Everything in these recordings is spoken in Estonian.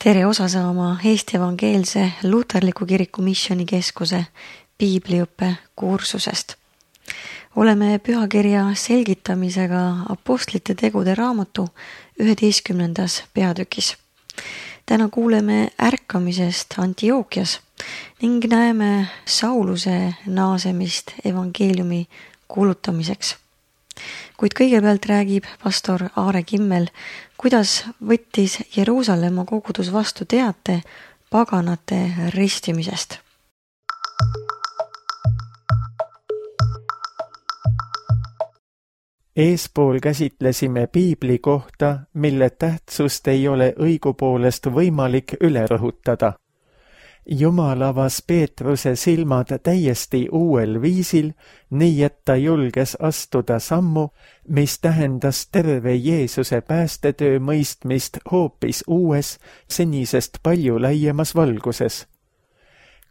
Tere osa saama Eesti Evangeelse Luterliku Kiriku Missioonikeskuse piibliõppe kursusest. Oleme pühakirja selgitamisega Apostlite tegude raamatu 11. peatükis. Täna kuuleme ärkamisest Antiookias ning näeme Sauluse naasemist evangeeliumi kuulutamiseks. Kuid kõigepealt räägib pastor Aare Kimmel, kuidas võttis Jeruusalemma kogudus vastu teate paganate ristimisest. Eespool käsitlesime piibli kohta, mille tähtsust ei ole õigupoolest võimalik üle rõhutada. Jumal avas Peetruse silmad täiesti uuel viisil, nii et ta julges astuda sammu, mis tähendas terve Jeesuse päästetöö mõistmist hoopis uues, senisest palju laiemas valguses.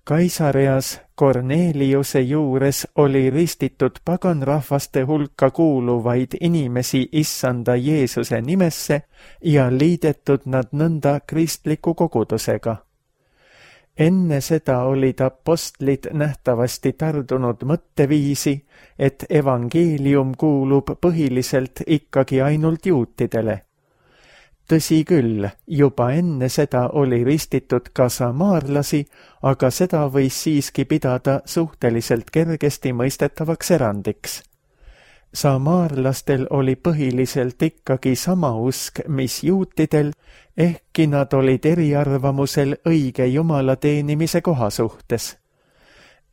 Kaisareas Korneliuse juures oli ristitud paganrahvaste hulka kuuluvaid inimesi issanda Jeesuse nimesse ja liidetud nad nõnda kristliku kogudusega. Enne seda olid apostlid nähtavasti tardunud mõtteviisi, et evangeelium kuulub põhiliselt ikkagi ainult juutidele. Tõsi küll, juba enne seda oli ristitud ka samaarlasi, aga seda võis siiski pidada suhteliselt kergesti mõistetavaks erandiks. Samaarlastel oli põhiliselt ikkagi sama usk, mis juutidel, ehkki nad olid eriarvamusel õige Jumala teenimise koha suhtes.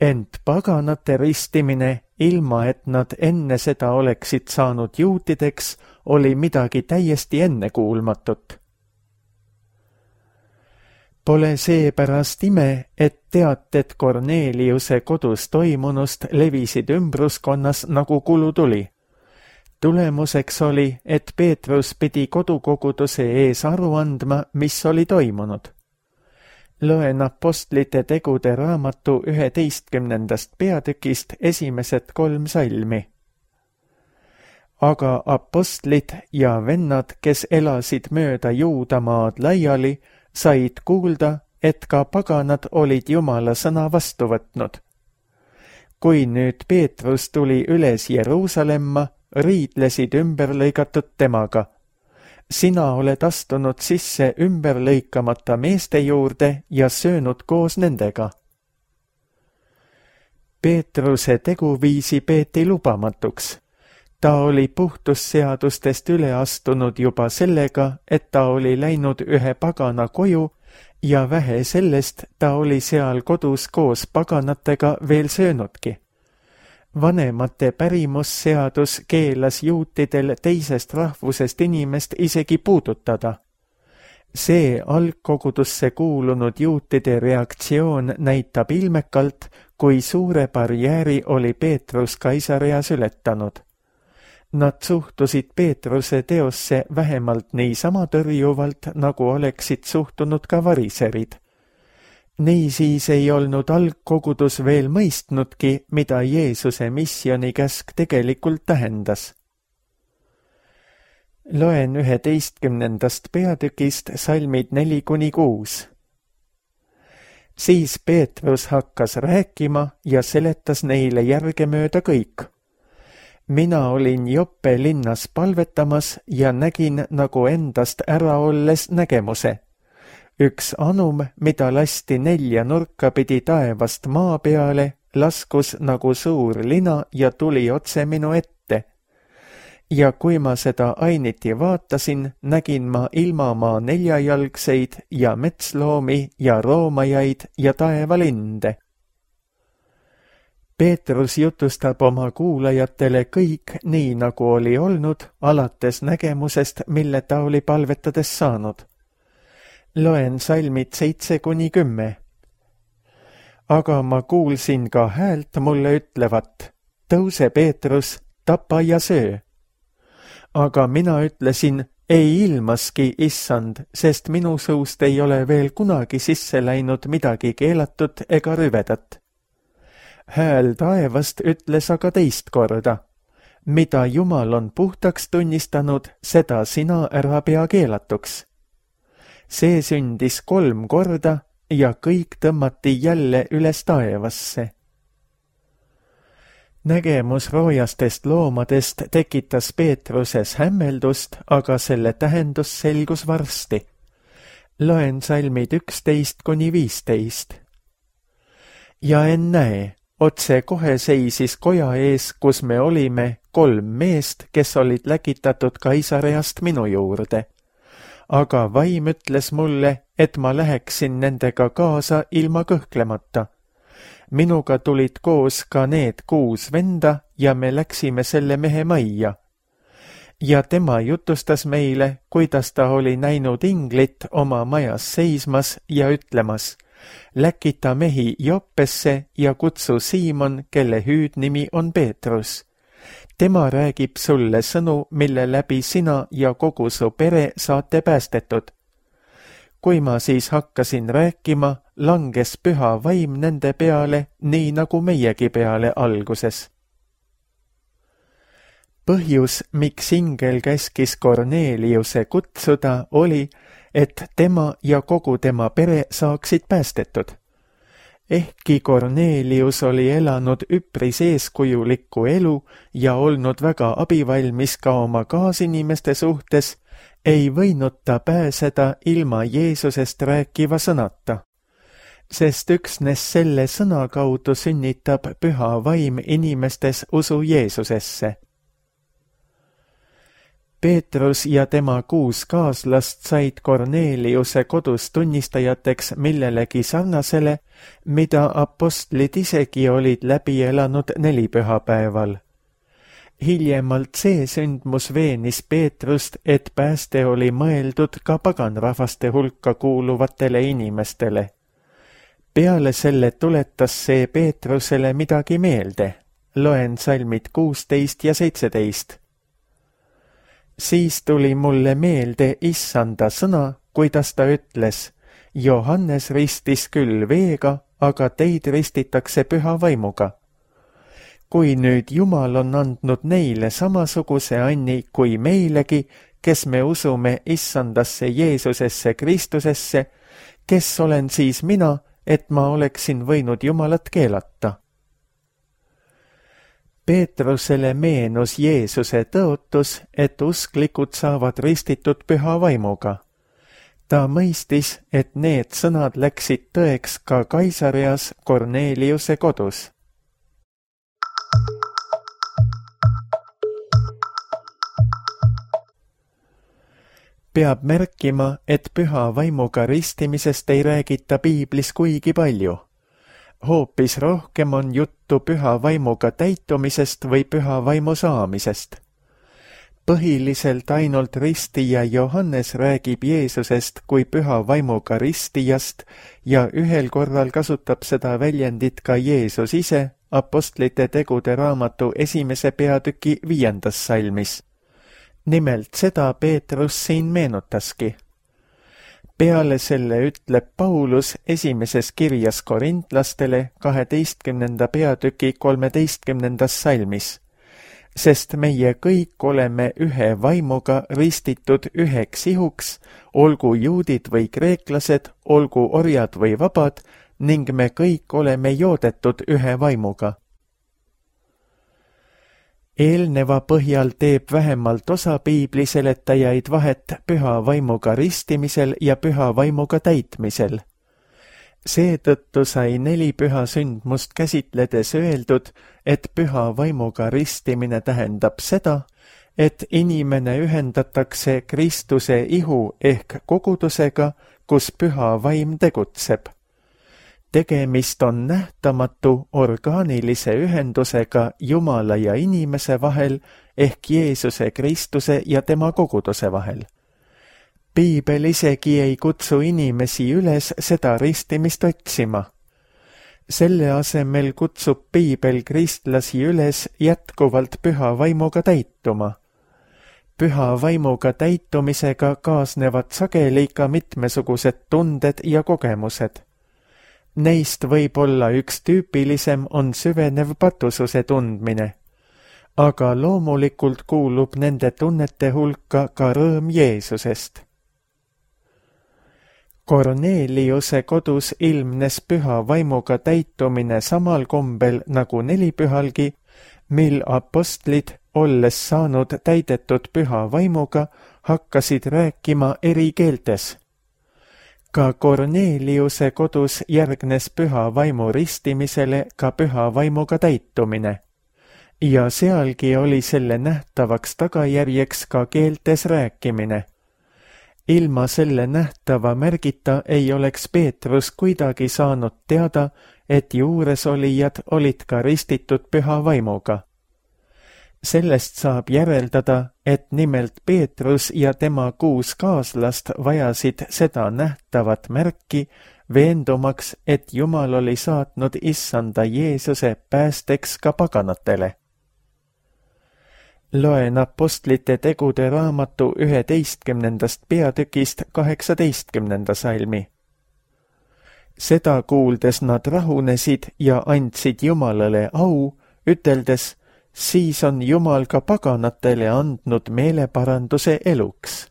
Ent paganate ristimine, ilma et nad enne seda oleksid saanud juutideks, oli midagi täiesti ennekuulmatut. Pole seepärast ime, et teated Korneliuse kodus toimunust levisid ümbruskonnas nagu kulu tuli. Tulemuseks oli, et Peetrus pidi kodukoguduse ees aru andma, mis oli toimunud. Loen Apostlite tegude raamatu 11. peatükist esimesed 3 salmi. Aga apostlid ja vennad, kes elasid mööda Juudamaad laiali, said kuulda, et ka paganad olid Jumala sõna vastu võtnud. Kui nüüd Peetrus tuli üles Jeruusalemma, riidlesid ümberlõigatud temaga. Sina oled astunud sisse ümberlõikamata meeste juurde ja söönud koos nendega. Peetruse teguviisi peeti lubamatuks. Ta oli puhtusseadustest üle astunud juba sellega, et ta oli läinud ühe pagana koju ja vähe sellest ta oli seal kodus koos paganatega veel söönudki. Vanemate pärimusseadus keelas juutidel teisest rahvusest inimest isegi puudutada. See algkogudusse kuulunud juutide reaktsioon näitab ilmekalt, kui suure barjääri oli Peetrus Kaisareas ületanud. Nad suhtusid Peetruse teosse vähemalt niisama tõrjuvalt, nagu oleksid suhtunud ka variserid. Niisiis ei olnud algkogudus veel mõistnudki, mida Jeesuse missioonikäsk tegelikult tähendas. Loen 11. peatükist salmid 4-6. Siis Peetrus hakkas rääkima ja seletas neile järgemööda kõik. Mina olin Joppe linnas palvetamas ja nägin nagu endast ära olles nägemuse. Üks anum, mida lasti 4 nurka pidi taevast maa peale, laskus nagu suur lina ja tuli otse minu ette. Ja kui ma seda ainiti vaatasin, nägin ma ilmamaa 4jalgseid ja metsloomi ja roomajaid ja taevalinde. Peetrus jutustab oma kuulajatele kõik nii, nagu oli olnud, alates nägemusest, mille ta oli palvetades saanud. Loen salmid 7-10. Aga ma kuulsin ka häält mulle ütlevat, tõuse Peetrus, tapa ja söö. Aga mina ütlesin, ei ilmaski, issand, sest minu suust ei ole veel kunagi sisse läinud midagi keelatud ega rüvedat. Hääl taevast ütles aga teist korda, mida Jumal on puhtaks tunnistanud, seda sina ära pea keelatuks. See sündis 3 korda ja kõik tõmmati jälle üles taevasse. Nägemus roojastest loomadest tekitas Peetruses hämmeldust, aga selle tähendus selgus varsti. Loen salmid 11–15. Ja ennäe, otse kohe seisis koja ees, kus me olime, 3 meest, kes olid läkitatud Kaisareast minu juurde. Aga vaim ütles mulle, et ma läheksin nendega kaasa ilma kõhklemata. Minuga tulid koos ka need 6 venda ja me läksime selle mehe majja. Ja tema jutustas meile, kuidas ta oli näinud inglit oma majas seismas ja ütlemas: läkita mehi Joppesse ja kutsu Siimon, kelle hüüdnimi on Peetrus. Tema räägib sulle sõnu, mille läbi sina ja kogu su pere saate päästetud. Kui ma siis hakkasin rääkima, langes püha vaim nende peale, nii nagu meiegi peale alguses. Põhjus, miks ingel käskis Korneliuse kutsuda, oli, et tema ja kogu tema pere saaksid päästetud. Ehkki Kornelius oli elanud üpris eeskujulikku elu ja olnud väga abivalmis ka oma kaasinimeste suhtes, ei võinud ta pääseda ilma Jeesusest rääkiva sõnata. Sest üksnes selle sõna kaudu sünnitab püha vaim inimestes usu Jeesusesse. Peetrus ja tema 6 kaaslast said Korneliuse kodus tunnistajateks millelegi sarnasele, mida apostlid isegi olid läbi elanud 4 pühapäeval. Hiljemalt see sündmus veenis Peetrust, et pääste oli mõeldud ka paganrahvaste hulka kuuluvatele inimestele. Peale selle tuletas see Peetrusele midagi meelde. Loen salmid 16 ja 17. Siis tuli mulle meelde issanda sõna, kuidas ta ütles: Johannes ristis küll veega, aga teid ristitakse püha vaimuga. Kui nüüd Jumal on andnud neile samasuguse anni kui meilegi, kes me usume issandasse Jeesusesse Kristusesse, kes olen siis mina, et ma oleksin võinud Jumalat keelata? Peetrusele meenus Jeesuse tõotus, et usklikud saavad ristitud püha vaimuga. Ta mõistis, et need sõnad läksid tõeks ka Kaisareas Korneliuse kodus. Peab märkima, et püha vaimuga ristimisest ei räägita piiblis kuigi palju. Hoopis rohkem on juttu püha vaimuga täitumisest või püha vaimu saamisest. Põhiliselt ainult ristija Johannes räägib Jeesusest kui püha vaimuga ristijast ja ühel korral kasutab seda väljendit ka Jeesus ise apostlite tegude raamatu 1. peatüki 5. salmis. Nimelt seda Peetrus siin meenutaski. Peale selle ütleb Paulus 1. kirjas korintlastele 12. peatüki 13. salmis. Sest meie kõik oleme ühe vaimuga ristitud üheks ihuks, olgu juudid või kreeklased, olgu orjad või vabad, ning me kõik oleme joodetud ühe vaimuga. Eelneva põhjal teeb vähemalt osa piibliseletajaid vahet püha vaimuga ristimisel ja püha vaimuga täitmisel. Seetõttu sai 4 püha sündmust käsitledes öeldud, et püha vaimuga ristimine tähendab seda, et inimene ühendatakse Kristuse ihu ehk kogudusega, kus püha vaim tegutseb. Tegemist on nähtamatu orgaanilise ühendusega Jumala ja inimese vahel ehk Jeesuse Kristuse ja tema koguduse vahel. Piibel isegi ei kutsu inimesi üles seda ristimist otsima. Selle asemel kutsub piibel kristlasi üles jätkuvalt püha vaimuga täituma. Püha vaimuga täitumisega kaasnevad sageli ka mitmesugused tunded ja kogemused. Neist võib-olla üks tüüpilisem on süvenev patususe tundmine, aga loomulikult kuulub nende tunnete hulka ka rõõm Jeesusest. Korneliuse kodus ilmnes püha vaimuga täitumine samal kombel nagu nelipühalgi, mil apostlid, olles saanud täidetud püha vaimuga, hakkasid rääkima eri keeltes. Ka Korneliuse kodus järgnes püha vaimu ristimisele ka püha vaimuga täitumine. Ja sealgi oli selle nähtavaks tagajärjeks ka keeltes rääkimine. Ilma selle nähtava märgita ei oleks Peetrus kuidagi saanud teada, et juuresolijad olid ka ristitud püha vaimuga. Sellest saab järeldada, et nimelt Peetrus ja tema 6 kaaslast vajasid seda nähtavat märki, veendumaks, et Jumal oli saatnud issanda Jeesuse päästeks ka paganatele. Loen apostlite tegude raamatu 11. peatükist 18. salmi. Seda kuuldes nad rahunesid ja andsid Jumalale au, üteldes, siis on Jumal ka paganatele andnud meeleparanduse eluks.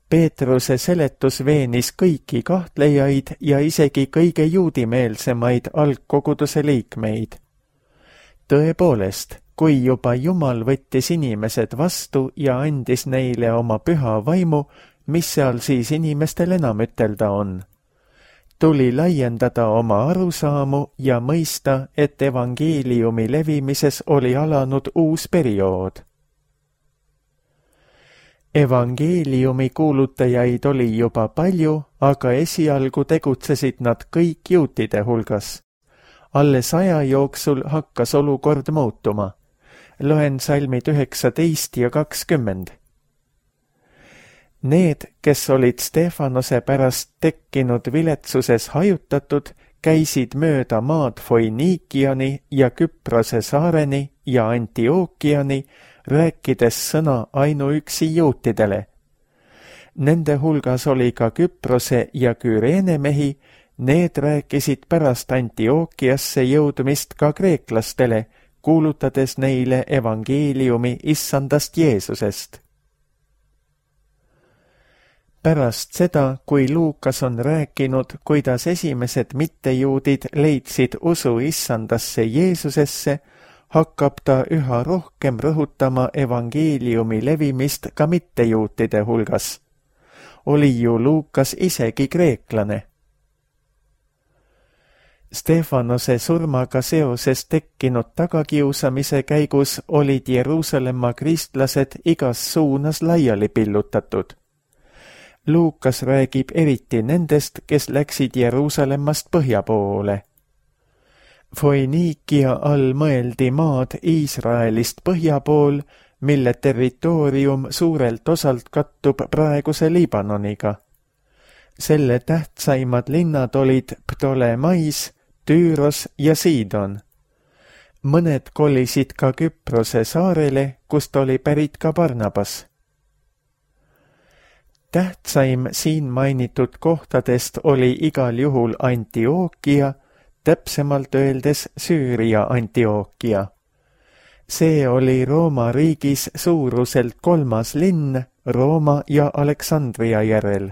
Peetruse seletus veenis kõiki kahtlejaid ja isegi kõige juudimeelsemaid algkoguduse liikmeid. Tõepoolest, kui juba Jumal võttis inimesed vastu ja andis neile oma püha vaimu, mis seal siis inimestel enam ütelda on? Tuli laiendada oma arusaamu ja mõista, et evangeeliumi levimises oli alanud uus periood. Evangeeliumi kuulutajaid oli juba palju, aga esialgu tegutsesid nad kõik juutide hulgas. Alles aja jooksul hakkas olukord muutuma. Loen salmid 19 ja 20. Need, kes olid Stefanose pärast tekkinud viletsuses hajutatud, käisid mööda maad Foiniikiani ja Küprose saareni ja Antiookiani, rääkides sõna ainuüksi juutidele. Nende hulgas oli ka Küprose ja Küreene mehi, need rääkisid pärast Antiookiasse jõudmist ka kreeklastele, kuulutades neile evangeeliumi issandast Jeesusest. Pärast seda, kui Luukas on rääkinud, kuidas esimesed mittejuudid leidsid usu issandasse Jeesusesse, hakkab ta üha rohkem rõhutama evangeeliumi levimist ka mittejuutide hulgas. Oli ju Luukas isegi kreeklane. Stefanose surmaga seoses tekkinud tagakiusamise käigus olid Jeruusalemma kristlased igas suunas laiali pillutatud. Luukas räägib eriti nendest, kes läksid Jeruusalemmast põhja poole. Foiniikia all mõeldi maad Iisraelist põhja pool, mille territoorium suurelt osalt kattub praeguse Liibanoniga. Selle tähtsaimad linnad olid Ptolemais, Tüüros ja Siidon. Mõned kolisid ka Küprose saarele, kust oli pärit ka Barnabas. Tähtsaim siin mainitud kohtadest oli igal juhul Antiookia, täpsemalt öeldes Süüria Antiookia. See oli Rooma riigis suuruselt 3. linn Rooma ja Aleksandria järel.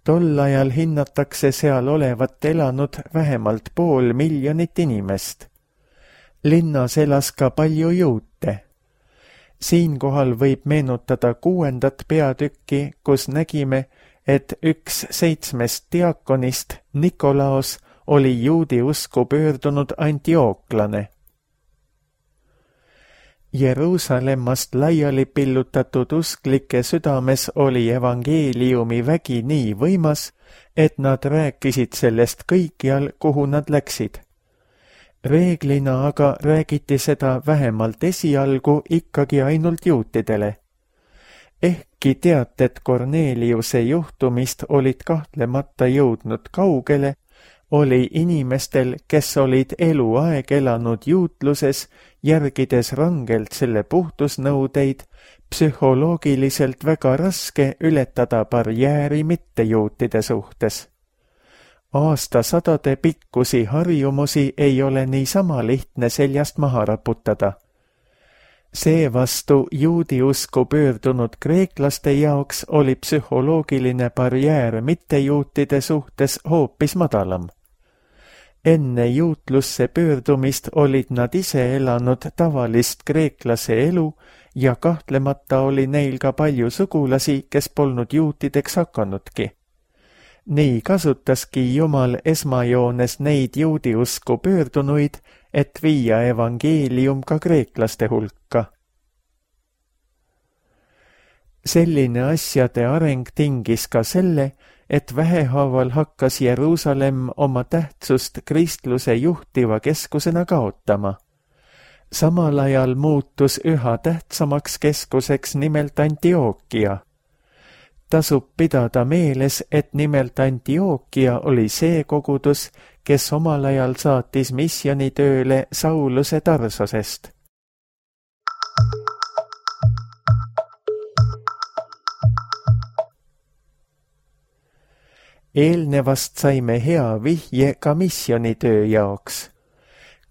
Tol ajal hinnatakse seal olevat elanud vähemalt 500 000 inimest. Linnas elas ka palju juute. Siinkohal võib meenutada 6. peatükki, kus nägime, et üks 7 diakonist, Nikolaos, oli juudi usku pöördunud antiooklane. Jeruusalemmast laiali pillutatud usklike südames oli evangeeliumi vägi nii võimas, et nad rääkisid sellest kõikjal, kuhu nad läksid. Reeglina aga räägiti seda vähemalt esialgu ikkagi ainult juutidele. Ehkki teated Korneliuse juhtumist olid kahtlemata jõudnud kaugele, oli inimestel, kes olid eluaeg elanud juutluses, järgides rangelt selle puhtusnõudeid, psühholoogiliselt väga raske ületada barjääri mittejuutide suhtes. Aastasadade pikkusi harjumusi ei ole niisama lihtne seljast maha raputada. Seevastu juudi usku pöördunud kreeklaste jaoks oli psühholoogiline barjäär mittejuutide suhtes hoopis madalam. Enne juutlusse pöördumist olid nad ise elanud tavalist kreeklase elu ja kahtlemata oli neil ka palju sugulasi, kes polnud juutideks hakanudki. Nii kasutaski Jumal esmajoones neid juudi usku pöördunuid, et viia evangeelium ka kreeklaste hulka. Selline asjade areng tingis ka selle, et vähehaaval hakkas Jeruusalemm oma tähtsust kristluse juhtiva keskusena kaotama. Samal ajal muutus üha tähtsamaks keskuseks nimelt Antiookia. Tasub pidada meeles, et nimelt Antiookia oli see kogudus, kes omal ajal saatis missioonitööle Sauluse Tarsosest. Eelnevast saime hea vihje ka missioonitöö jaoks.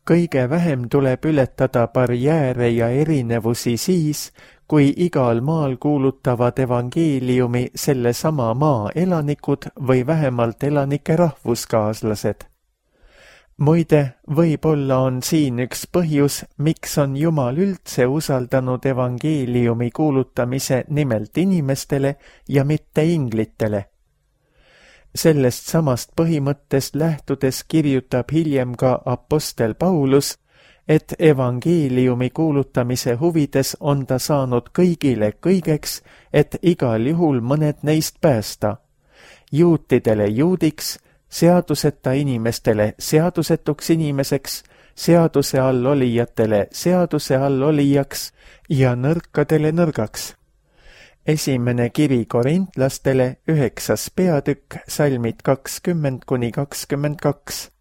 Kõige vähem tuleb ületada barjääre ja erinevusi siis, kui igal maal kuulutavad evangeeliumi selle sama maa elanikud või vähemalt elanike rahvuskaaslased. Muide, võib-olla on siin üks põhjus, miks on Jumal üldse usaldanud evangeeliumi kuulutamise nimelt inimestele ja mitte inglitele. Sellest samast põhimõttest lähtudes kirjutab hiljem ka apostel Paulus, et evangeeliumi kuulutamise huvides on ta saanud kõigile kõigeks, et igal juhul mõned neist päästa. Juutidele juudiks, seaduseta inimestele seadusetuks inimeseks, seaduse all olijatele seaduse all olijaks ja nõrkadele nõrgaks. Esimene kiri korintlastele 9. peatükk, salmid 20–22.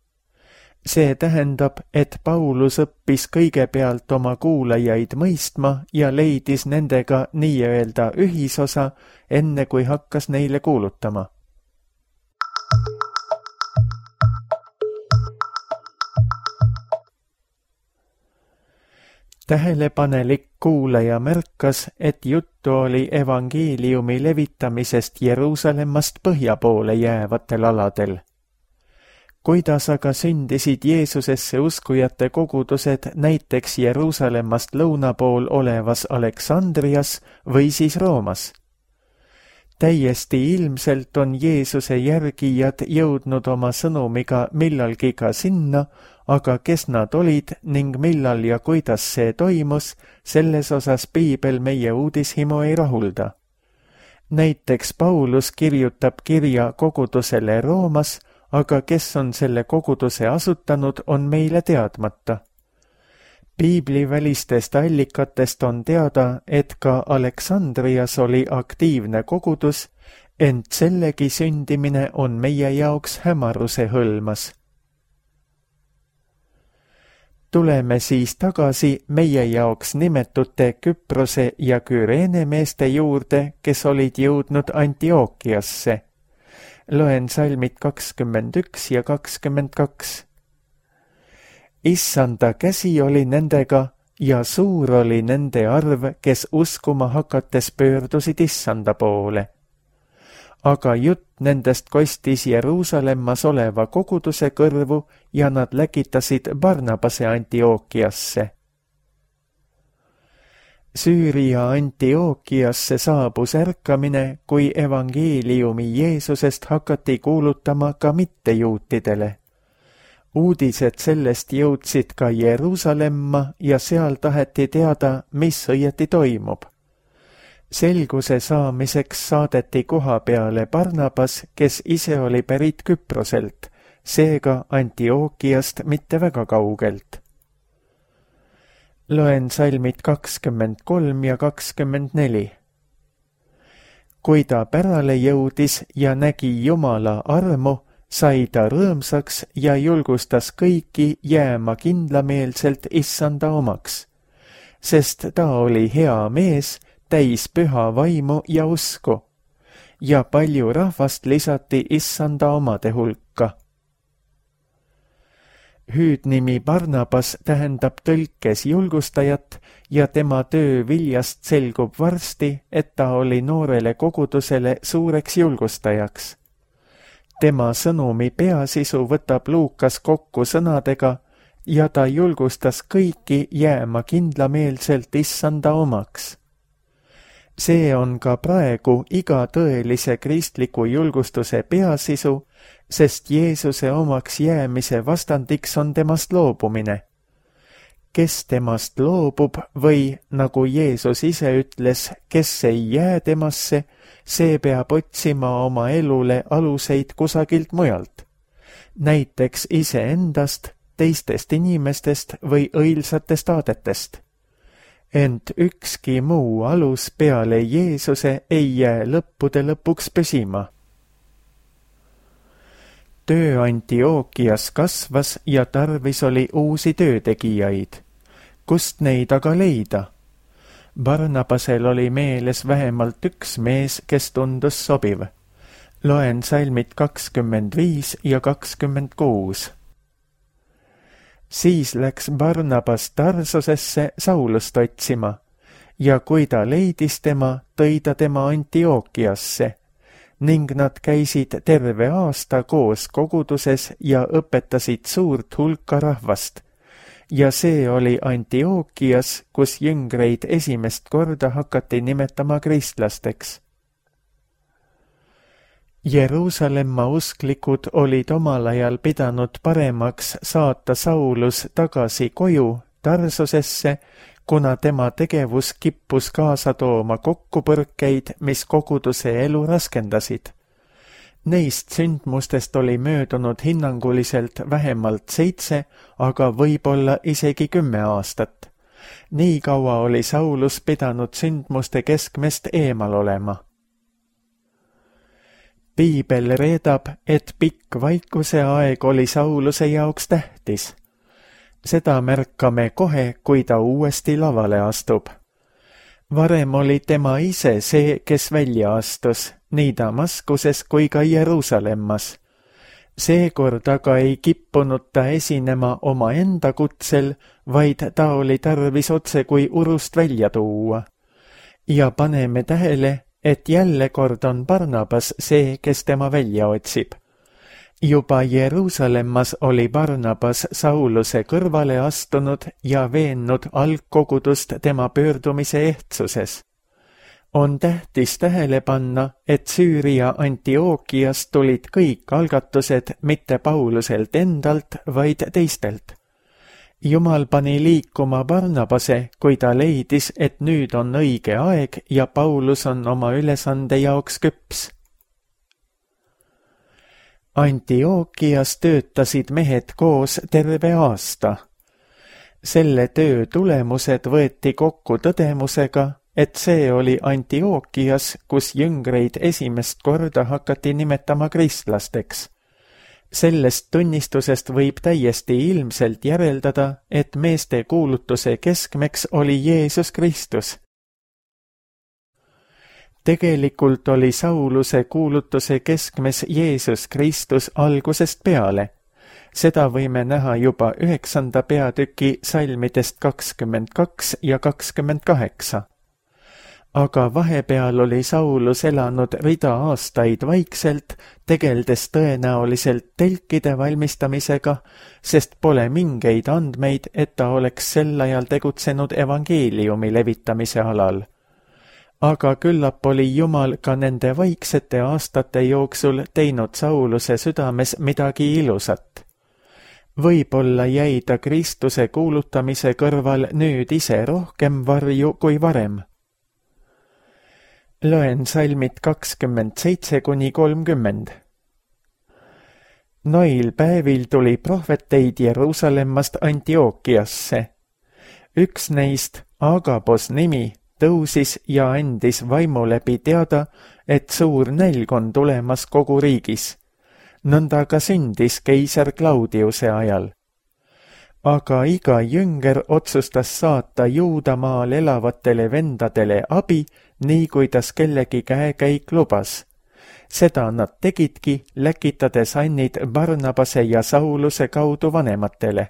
See tähendab, et Paulus õppis kõigepealt oma kuulajaid mõistma ja leidis nendega nii-öelda ühisosa, enne kui hakkas neile kuulutama. Tähelepanelik kuulaja märkas, et juttu oli evangeeliumi levitamisest Jeruusalemmast põhja poole jäävatel aladel. Kuidas aga sündisid Jeesusesse uskujate kogudused näiteks Jeruusalemmast lõuna pool olevas Aleksandrias või siis Roomas? Täiesti ilmselt on Jeesuse järgijad jõudnud oma sõnumiga millalgi ka sinna, aga kes nad olid ning millal ja kuidas see toimus, selles osas piibel meie uudishimu ei rahulda. Näiteks Paulus kirjutab kirja kogudusele Roomas, aga kes on selle koguduse asutanud, on meile teadmata. Piiblivälistest allikatest on teada, et ka Aleksandrias oli aktiivne kogudus, ent sellegi sündimine on meie jaoks hämaruse hõlmas. Tuleme siis tagasi meie jaoks nimetute Küprose ja Küreene meeste juurde, kes olid jõudnud Antiookiasse. Loen salmid 21 ja 22. Issanda käsi oli nendega ja suur oli nende arv, kes uskuma hakates pöördusid Issanda poole. Aga jutt nendest kostis Jeruusalemmas oleva koguduse kõrvu ja nad läkitasid Barnabase Antiookiasse. Süüria Antiookiasse saabus ärkamine, kui evangeeliumi Jeesusest hakati kuulutama ka mittejuutidele. Uudised sellest jõudsid ka Jeruusalemma ja seal taheti teada, mis õieti toimub. Selguse saamiseks saadeti koha peale Barnabas, kes ise oli pärit Küproselt, seega Antiookiast mitte väga kaugelt. Loen salmid 23 ja 24. Kui ta pärale jõudis ja nägi Jumala armu, sai ta rõõmsaks ja julgustas kõiki jääma kindlameelselt Issanda omaks, sest ta oli hea mees, täis püha vaimu ja usku, ja palju rahvast lisati Issanda omade hulka. Hüüdnimi Barnabas tähendab tõlkes julgustajat ja tema töö viljast selgub varsti, et ta oli noorele kogudusele suureks julgustajaks. Tema sõnumi peasisu võtab Luukas kokku sõnadega ja ta julgustas kõiki jääma kindlameelselt issanda omaks. See on ka praegu iga tõelise kristliku julgustuse peasisu, sest Jeesuse omaks jäämise vastandiks on temast loobumine. Kes temast loobub või, nagu Jeesus ise ütles, kes ei jää temasse, see peab otsima oma elule aluseid kusagilt mujalt. Näiteks iseendast, teistest inimestest või õilsatest aadetest. Ent ükski muu alus peale Jeesuse ei jää lõppude lõpuks püsima. Töö Antiookias kasvas ja tarvis oli uusi töötegijaid. Kust neid aga leida? Barnabasel oli meeles vähemalt üks mees, kes tundus sobiv. Loen salmid 25 ja 26. Siis läks Barnabas Tarsusesse Saulust otsima ja kui ta leidis tema, tõi ta tema Antiookiasse ning nad käisid terve aasta koos koguduses ja õpetasid suurt hulka rahvast. Ja see oli Antiookias, kus jüngreid esimest korda hakati nimetama kristlasteks. Jeruusalemma usklikud olid omal ajal pidanud paremaks saata Saulus tagasi koju Tarsusesse, kuna tema tegevus kippus kaasa tooma kokkupõrkeid, mis koguduse elu raskendasid. Neist sündmustest oli möödunud hinnanguliselt vähemalt 7, aga võib-olla isegi 10 aastat. Nii kaua oli Saulus pidanud sündmuste keskmest eemal olema. Piibel reedab, et pikk vaikuse aeg oli Sauluse jaoks tähtis. Seda märkame kohe, kui ta uuesti lavale astub. Varem oli tema ise see, kes välja astus, nii Damaskuses kui ka Jeruusalemmas. Seekord aga ei kippunud ta esinema oma enda kutsel, vaid ta oli tarvis otse kui urust välja tuua. Ja paneme tähele, et jälle kord on Barnabas see, kes tema välja otsib. Juba Jeruusalemmas oli Barnabas Sauluse kõrvale astunud ja veennud algkogudust tema pöördumise ehtsuses. On tähtis tähele panna, et Süüria Antiookias tulid kõik algatused mitte Pauluselt endalt, vaid teistelt. Jumal pani liikuma Barnabase, kui ta leidis, et nüüd on õige aeg ja Paulus on oma ülesande jaoks küps. Antiookias töötasid mehed koos terve aasta. Selle töö tulemused võeti kokku tõdemusega, et see oli Antiookias, kus jüngreid esimest korda hakati nimetama kristlasteks. Sellest tunnistusest võib täiesti ilmselt järeldada, et meeste kuulutuse keskmeks oli Jeesus Kristus. Tegelikult oli Sauluse kuulutuse keskmes Jeesus Kristus algusest peale. Seda võime näha juba 9. peatüki salmidest 22 ja 28. Aga vahepeal oli Saulus elanud rida aastaid vaikselt, tegeldes tõenäoliselt telkide valmistamisega, sest pole mingeid andmeid, et ta oleks sel ajal tegutsenud evangeeliumi levitamise alal. Aga küllap oli Jumal ka nende vaiksete aastate jooksul teinud Sauluse südames midagi ilusat. Võib-olla jäi ta Kristuse kuulutamise kõrval nüüd ise rohkem varju kui varem. Loen salmid 27–30. Noil päevil tuli prohveteid Jeruusalemmast Antiookiasse. Üks neist, Agabos nimi, tõusis ja andis vaimu läbi teada, et suur nälg on tulemas kogu riigis. Nõnda ka sündis keiser Claudiuse ajal. Aga iga jünger otsustas saata Juudamaal elavatele vendadele abi, nii kuidas kellegi käekäik lubas. Seda nad tegidki, läkitades annid Barnabase ja Sauluse kaudu vanematele.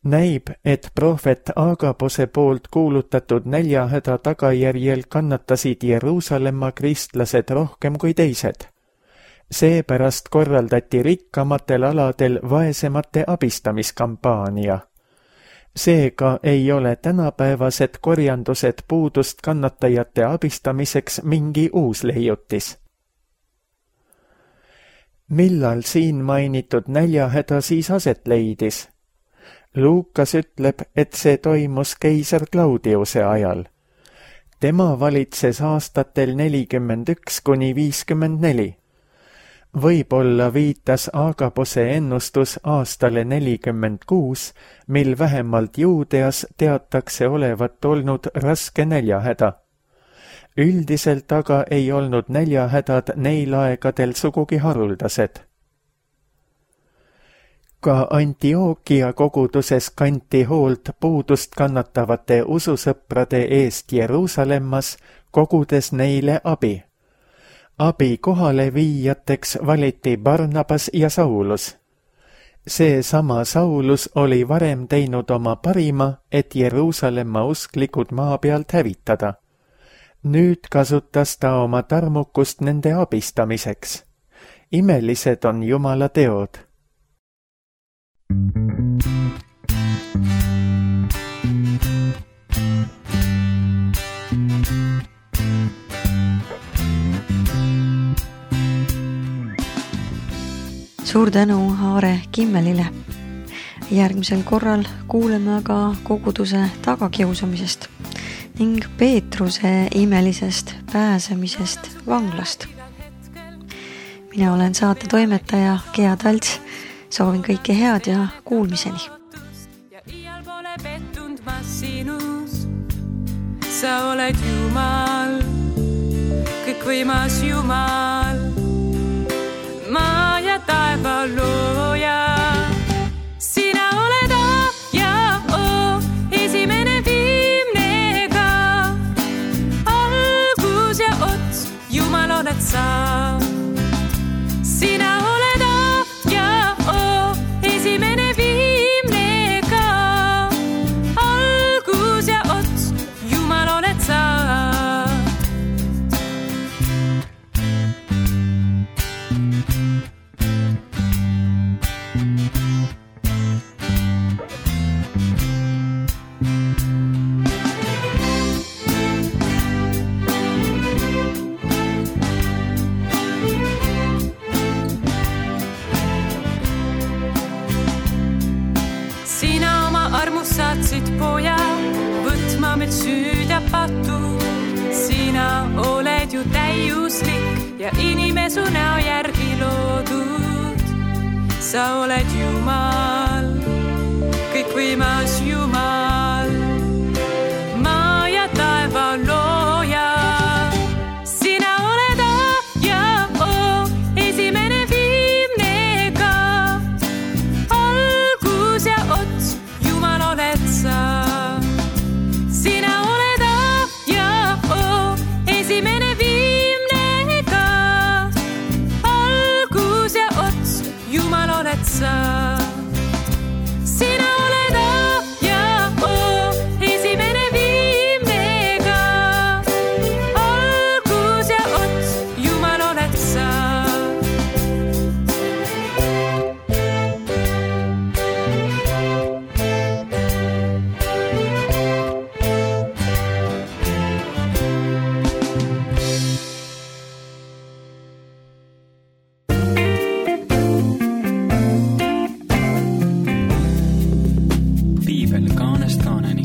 Näib, et prohvet Agabose poolt kuulutatud näljahäda tagajärjel kannatasid Jeruusalemma kristlased rohkem kui teised. Seepärast korraldati rikkamatel aladel vaesemate abistamiskampaania. Seega ei ole tänapäevased korjandused puudust kannatajate abistamiseks mingi uus leiutis. Millal siin mainitud näljahäda siis aset leidis? Luukas ütleb, et see toimus keiser Claudiuse ajal. Tema valitses aastatel 41–54. Võib-olla viitas Agabose ennustus aastale 46, mil vähemalt Juudeas teatakse olevat olnud raske näljahäda. Üldiselt aga ei olnud näljahädad neil aegadel sugugi haruldased. Ka Antiokia koguduses kanti hoolt puudust kannatavate ususõprade eest Jeruusalemmas, kogudes neile abi. Abi kohale viijateks valiti Barnabas ja Saulus. Seesama Saulus oli varem teinud oma parima, et Jeruusalemma usklikud maa pealt hävitada. Nüüd kasutas ta oma tarmukust nende abistamiseks. Imelised on Jumala teod. Suur tänu Aare Kimmelile. Järgmisel korral kuuleme aga koguduse tagakiusamisest ning Peetruse imelisest pääsemisest vanglast. Mina olen saate toimetaja Gea Talts. Soovin kõike head ja kuulmiseni. Ja iial pole pettunud ma sinus. Sa oled Jumal, kõikvõimas Jumal, maa ja taeva looja. Sina oled A ja O, esimene viimne ka. Algus ja ots, Jumal oled sa. Sina oled A ja O, esimene viimne ka. Algus ja ots, Jumal oled sa. Saatsid poja võtma meid süüd ja patu. Sina oled ju täiuslik ja inimesu näo järgi loodud. Sa oled Jumal, kõikvõimas Jumal, maa ja taeva looja. Sina oled A ja O, esimene viimne ka. Algus ja ots, Jumal oled sa. Sina oled A ja O, esimene viimne ka. Algus ja ots, Jumal oled sa. Sina oled A ja O, esimene viimne ka. Algus ja ots, Jumal oled sa. Piibel kaanest kaaneni.